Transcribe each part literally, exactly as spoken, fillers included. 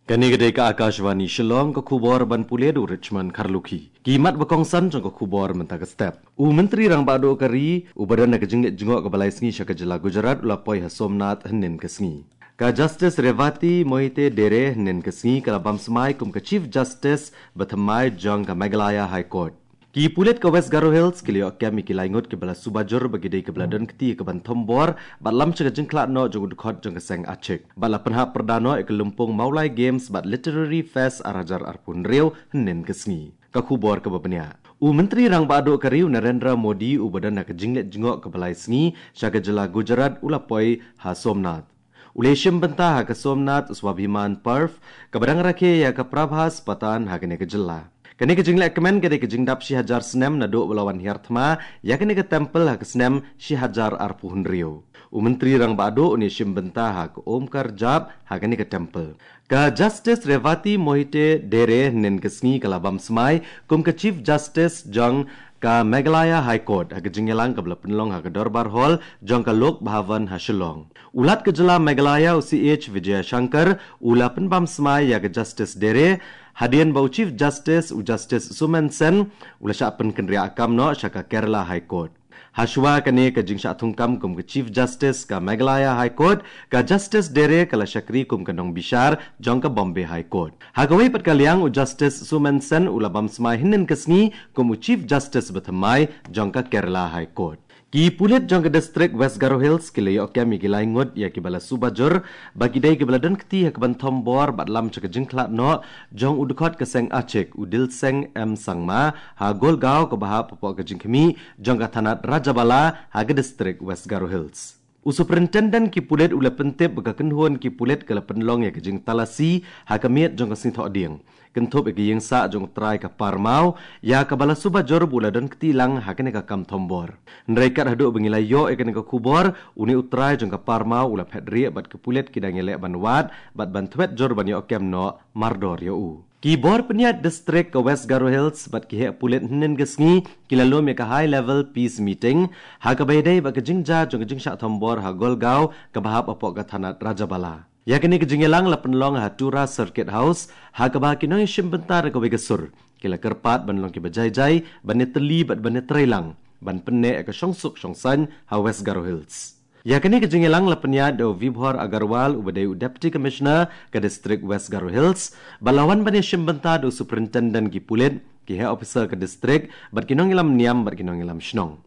Kane ka dei ka Akashvani Shillong, ka khubor ban pule da u Richmond Kharlukhi. Ki mat ba kongsan jong ka khubor mynta ka step. U Myntri Rangbah Duh ka ri, uba don ha ka jingleit jngoh kaba lai sngi sha ka jylla Gujarat, u la poi ha Somnath hynnin ka sngi. Ka Justice Revati Mohite Dere hynnin ka sngi ka la bam smai kum ka Chief Justice ba thymmai jong ka Meghalaya High Court. Ki pulit ka West Garo Hills ki la ïoh kem ïa ki lai ngut kiba la suba jur ba ki dei kiba la don kti ïa ka ban thombor bad lam sha ka jingkhlad noh jong u dkhot jong ka seng Achik. Bad la pynhap pyrda noh ïa ka lympung Mawlai Games bad Literary Fest ar hajar arphew hynriew hynnin ka sngi. Ka khubor kaba bniah. U Myntri Rangbah Duh ka ri, u Narendra Modi, uba don ha ka jingleit jngoh kaba lai sngi sha ka jylla Gujarat, u la poi ha Somnath. U la ïashim bynta ha ka Somnath Swabhiman Parv, kaba dang rakhe ïa ka Prabhas Patan ha kane ka jylla. Kane ka jingleh kmen ka dei ka jingdap shi hajar snem naduh ba la wan hiar thma ïa kane ka temple ha ka snem shi hajar arphew hynriew. U Myntri Rangbah Duh un ïashim bynta ha ka Omkar Jap ha kane ka temple. Ka Justice Revati Mohite Dere hynnin ka sngi ka la bam smai kum ka Chief Justice jong ka Meghalaya High Court ha ka jingïalang kaba la pynlong ha ka Dorbar Hall jong ka Lok Bhavan ha Shillong. U Lat ka jylla Meghalaya, u C H Vijayashankar, u la pynbam smai ïa ka Justice Dere, hadien ba u Chief Justice, u Justice Sumen Sen, u la shah pynkynriah kam noh sha ka Kerala High Court. Hashwa kane ka jingshah thungkam kum ka Chief Justice ka Meghalaya High Court, ka Justice Dere ka la shakri kum ka nongbishar jong ka Bombay High Court. Ha kawei pat ka liang, u Justice Sumen Sen u la bam smai hynnin ka sngi kum u Chief Justice ba thymmai jong ka Kerala High Court. Ki pulit jong ka distrik West Garo Hills ki la ïoh kem ïa ki lai ngut ïa kiba la suba jur ba ki dei kiba la don kti ha ka ban thombor bad lam sha ka jingkhlad noh jong u dkhot ka seng Achik, u Dilseng M Sangma, ha Golgaon, kaba hap hapoh ka jingkhmih jong ka thanat Rajabala ha ka distrik West Garo Hills. U Superintendent ki pulit u la pyntip ba ka kynhun ki pulit ka la pynlong ïa ka jingtalasi ha ka miet jong ka Sngi Thohdieng, kynthup ïa ka ïing sah jong u trai ka Parmaw, ïa kaba la suba jur ba u la don kti lang ha kane ka kam thombor. Hynrei kat haduh ba ngi la ïoh ïa kane ka khubor, une u trai jong ka Parmaw u la phet rieh bad ki pulit ki dang ïaleh ban wad bad ban thwet jur ban ïoh kem noh mardor ïa u. Ki bor pynïaid distrik ka West Garo Hills bad ki heh pulit hynnin ka sngi ki la lum ïa ka high level peace meeting ha kaba ïadei bad ka jingjia jong ka jingshah thombor ha Golgaon, kaba hap hapoh ka thanat Rajabala. Ïa kane ka jingïalang la pynlong ha Tura Circuit House, ha kaba ki nongïashim bynta da kawei ka sur ki la kyrpad ban long kiba jai jai, ban ïatylli bad ban ïatreilang ban pynneh ïa ka shongsuk shongsaiñ ha West Garo Hills. Ïa kane ka jingïalang la pynïaid da u Vibhor Agarwal, uba dei u Deputy Commissioner ka distrik West Garo Hills, bad la wan ban ïashim bynta da u Superintendent ki pulit, ki heh officer ka distrik bad ki nongïalam niam bad ki nongïalam shnong.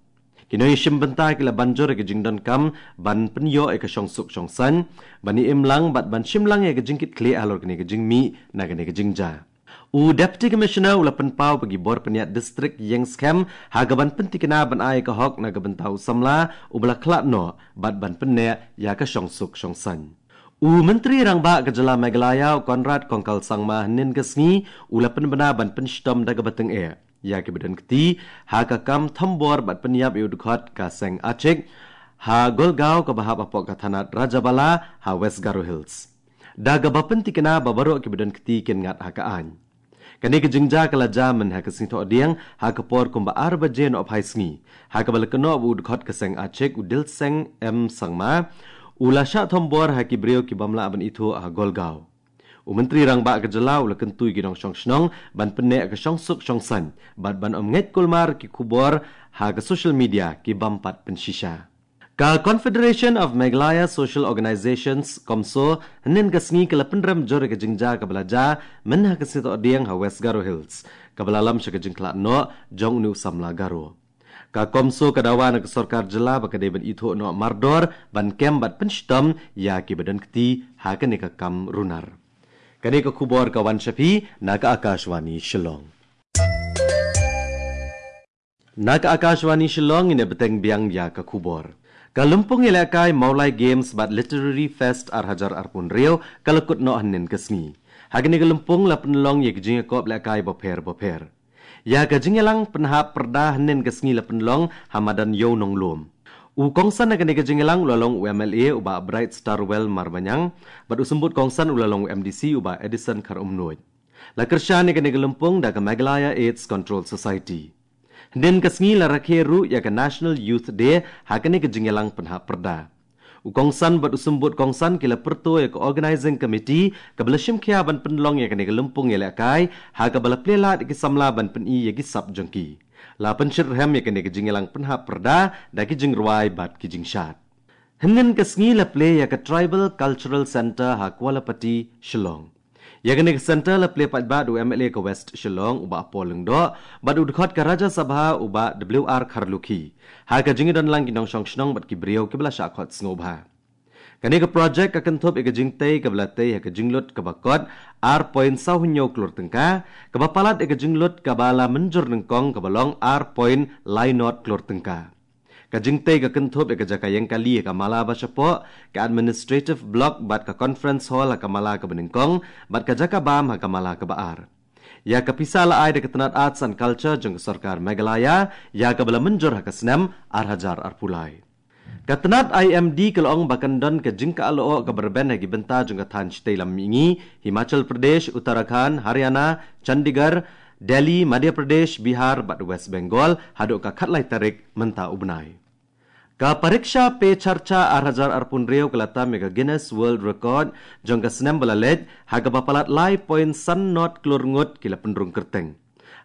Ki nongïashim bynta ki la ban jur ïa ka jingdonkam ban pynïoh ïa ka shongsuk shongsaiñ, ban ïa im lang bad ban shim lang ïa ka jingkitkhlieh halor kane ka jingmih na kane ka jingjia. U Deputy Commissioner u la pynpaw ba ki bor pynïaid distrik ïeng skhem ha ka ban pyntikna ban ai ïa ka hok na ka bynta u samla uba la khlad noh bad ban pynneh ïa ka shongsuk shongsaiñ. U Myntri Rangbah ka jylla Meghalaya, u Conrad Kongkal Sangma, hynnin ka sngi u la pynbna ban pynshitom da kaba tyngeh ïa kiba don kti ha ka kam thombor bad pynïap ïa u dkhot ka seng Achik ha Golgaon, kaba hap hapoh ka thanat Rajabala ha West Garo Hills, da kaba pyntikna ba baroh kiba don kti kin ngat ha ka aiñ. Kane ka jingjia ka la jia mynha ka Sngi Thohdieng ha ka por kumba ar baje noh phai sngi, ha kaba la kynnoh ba u dkhot ka seng Achik, u Dilseng M Sangma, u la shah thombor ha ki briew ki bym lah ban ithuh ha Golgaon. U Myntri Rangbah ka jylla u la kyntu ïa ki nongshong shnong ban pynneh ïa ka shongsuk shongsaiñ bad ban ym ngeit kulmar ki khubor ha ka social media ki bym pat pynshisha. Ka Confederation of Meghalaya Social Organisations, CoMSO, hynnin ka sngi ka la pynrem jur ïa ka jingjia kaba la jia mynha ka Sngi Thohdieng ha West Garo Hills, kaba la lam sha ka jingkhlad noh jong une u samla Garo. Ka CoMSO ka dawa na ka sorkar jylla ba ka dei ban ithuh noh mardor ban kem bad pynshitom ïa kiba don kti ha kane ka kam runar. Kane ka khubor ka wan sha phi na ka Akashvani Shillong. Na ka Akashvani Shillong, ngin ïa bteng biang ïa ka khubor. Ka lympung ïalehkai Mawlai Games bad Literary Fest ar hajar arphew hynriew ka la kut noh hynnin ka sngi. Ha kane ka lympung la pynlong ïa ka jingïakop lehkai bapher bapher. Ïa ka jingïalang pynhap pyrda hynnin ka sngi la pynlong ha madan Ïew Nonglum. U kongsan ha kane ka jingïalang u la long u M L A u Bah Bright Starwell Marbaniang, bad u symbud kongsan u la long u M D C u Bah Edison Kharumnuid. La kyrshan ïa kane ka lympung da ka Meghalaya AIDS Control Society. Hynnin ka sngi la rakhe ruh ïa ka National Youth Day ha kane ka jingïalang pynhap pyrda. U kongsan bad u symbud kongsan ki la pyrto ïa ka organizing committee kaba la shim khia ban pynlong ïa kane ka lympung ïalehkai ha kaba la plie lad ïa ki samla ban pyni ïa ki sap jong ki. La pynshitrhem ïa kane ka jingïalang pynhap pyrda da ki jingrwai bad ki jingshad. Hynnin ka sngi la plie ïa ka Tribal Cultural Centre ha Kawalapati, Shillong. Ïa kane ka centre la plie paidbah da u M L A ka West Shillong u Bah Paul Lyngdoh bad u dkhot ka Rajya Sabha u Bah W R Kharlukhi ha ka jingdon lang ki nongshong shnong bad ki briew kiba la shah khot sngewbha. Kane ka projek ka kynthup ïa ka jingtei kaba la tei ha ka jinglut kaba kot ar point saw hynñiew klur tyngka, kaba palat ïa ka jinglut kaba la mynjur nyngkong kaba long ar point lai not klur tyngka. Ka jingtei ka kynthup ïa ka jaka ïeng kali ha ka mala ba shapoh, ka administrative block bad ka conference hall ha ka mala kaba nyngkong, bad ka jaka bam ha ka mala kaba ar. Ïa ka pisa la ai da ka tnat Arts and Culture jong ka sorkar Meghalaya, ïa kaba la mynjur ha ka snem ar hajar arphew lai. Ka tnat I M D ka la ong ba kan don ka jingkah lyoh kaba rben ha ki bynta jong ka thaiñ shatei lam mihngi, Himachal Pradesh, Uttarakhand, Haryana, Chandigarh, Delhi, Madhya Pradesh, Bihar bad West Bengal haduh ka khatlai tarik mynta u bnai. Ka Pariksha Pe Charcha ar hajar arphew hynriew ka la tam ïa ka Guinness World Record jong ka snem ba la leit ha kaba palat lai point san not klur ngut ki la pynrung kyrteng.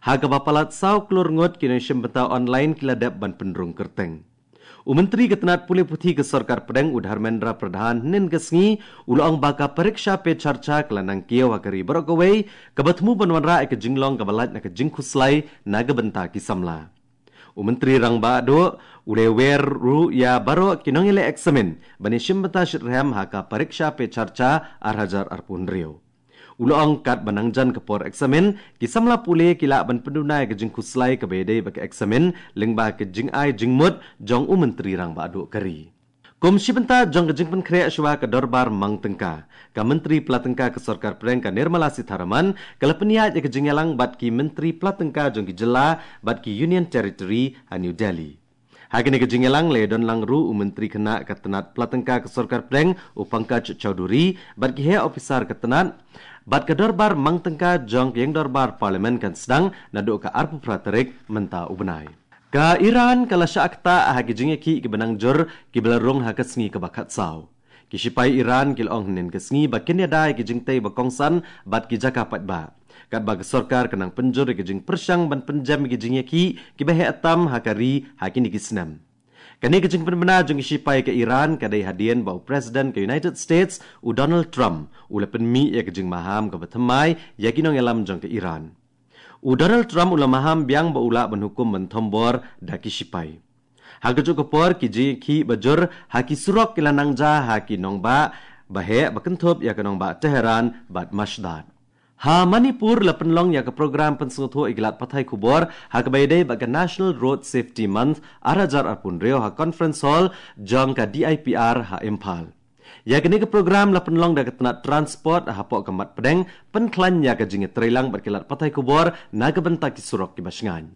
Ha kaba palat saw klur ngut ki nongshim bynta online ki la dep ban pynrung kyrteng. U Myntri ka tnat pule puthi ka sorkar pdeng u Dharmendra Pradhan hynnin ka sngi u la ong ba ka Pariksha Pe Charcha ka la nang kiew ha ka ri baroh kawei, kaba thmu ban wanrah ïa ka jinglong kaba lait na ka jingkhuslai na ka bynta ki samla. U Myntri Rangbah Duh u la wer ruh ïa baroh ki nongïaleh eksamin ban ïashim bynta shitrhem ha ka Pariksha Pe Charcha ar hajar arphew hynriew. U la ong katba nang jan ka por eksamin, ki samla pule ki lah ban pynduna ïa ka jingkhuslai kaba ïadei bad ka eksamin lyngba ka jingai jingmut jong u Myntri Rangbah Duh ka ri. Kum shi bynta jong ka jingpynkhreh shuwa ka dorbar mang tyngka, ka Myntri Pla Tyngka ka sorkar pdeng ka Nirmala Sitharaman ka la pynïaid ïa ka jingïalang bad ki Myntri Pla Tyngka jong ki jylla bad ki Union Territory ha New Delhi. Ha kane ka jingïalang la ïadon lang ruh u Myntri khynnah ka tnat Pla Tyngka ka sorkar pdeng u Pankaj Chaudhary bad ki heh ophisar ka tnat bad ka dorbar mang tyngka jong ka ïing dorbar Parliament kan sdang naduh ka arphew phra tarik mynta u bnai. Ka Iran ka la shah ktah ha ki jingïakhih kiba nang jur kiba la rung ha ka sngi kaba khatsaw. Ki shipai Iran ki la ong hynnin ka sngi ba kin ïada ïa ki jingtei ba kongsan bad ki jaka paidbah, katba ka sorkar ka nang pynjur ïa ki jingpyrshang ban pynjem ïa ki jingïakhih kiba heh tam ha ka ri ha kine ki snem. Kane ka jingpynbna jong ki shipai ka Iran ka dei hadien ba u President ka United States u Donald Trump u la pynmih ïa ka jingmaham kaba thymmai ïa ki nongïalam jong ka Iran. U Donald Trump u la maham biang ba u lah ban hukum ban thombor da ki shipai. Ha kajuh ka por ki jingïakhih ba jur ha ki surok ki la nang jia ha ki nongbah ba heh ba kynthup ïa ka nongbah Tehran bad Mashhad. Ha Manipur la pynlong ïa ka program pynsngewthuh ïa ki lad pathai khubor ha kaba ïadei bad ka National Road Safety Month ar hajar arphew hynriew ha Conference Hall jong ka D I P R ha Imphal. Ïa kane ka program la pynlong da ka tnat Transport hapoh ka mat pdeng pynkhlaiñ ïa ka jingïatreilang bad ki lad pathai khubor na ka bynta ki surok kiba shngaiñ.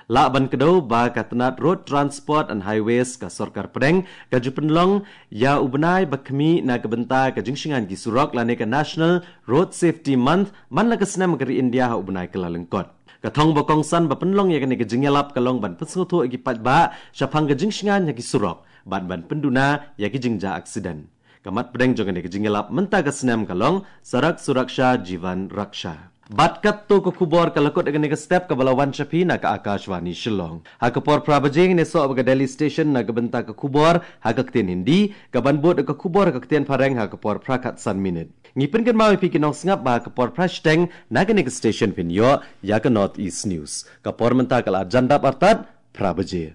Lah ban kdew ba ka tnat Road Transport and Highways ka sorkar pdeng ka ju pynlong ïa u bnai ba khmih na ka bynta ka jingshngaiñ ki surok lane ka National Road Safety Month man la ka snem ka ri India ha u bnai Kyllalyngkot. Ka thong ba kongsan ba pynlong ïa kane ka jingïalap ka long ban pynsngewthuh ïa ki paidbah shaphang ka jingshngaiñ ha ki surok bad ban pynduna ïa ki jingjia aksiden. Ka mat pdeng jong kane ka jingïalap mynta ka snem ka long Sadak Suraksha Jeevan Raksha. Bad katto ka khubor ka la kut ïa kane ka step kaba la wan sha phi na ka Akashvani Shillong. Ha ka por phra baje ngin ïasoh bad ka Delhi Station na ka bynta ka khubor ha ka ktien Hindi, kaban bud ka khubor ha ka ktien Phareng ha ka por phra khatsan minit. Ngi pynkynmaw ïa phi ki nongsngap ba ha ka por phra shiteng na kane ka station phin ïoh ïa ka North East News. Ka por mynta ka la jan dap artat phra baje.